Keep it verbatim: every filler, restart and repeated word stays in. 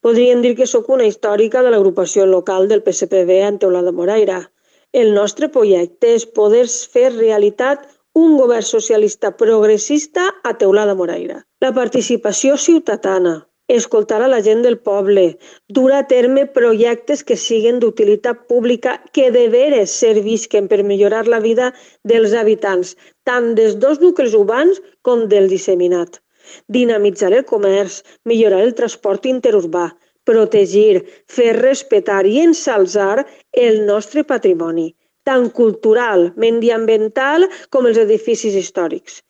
Podríem dir que sóc una històrica de l'agrupació local del P S P B en Teulada de Moraira. El nostre projecte és poder fer realitat un govern socialista progressista a Teulada de Moraira. La participació ciutadana, escoltar a la gent del poble, dur a terme projectes que siguin d'utilitat pública que de veres servisquen per millorar la vida dels habitants, tant dels dos nuclis urbans com del disseminat. Dinamitzar el comerç, millorar el transport interurbà, protegir, fer respetar i ensalzar el nostre patrimoni, tant cultural, mediambiental com els edificis històrics.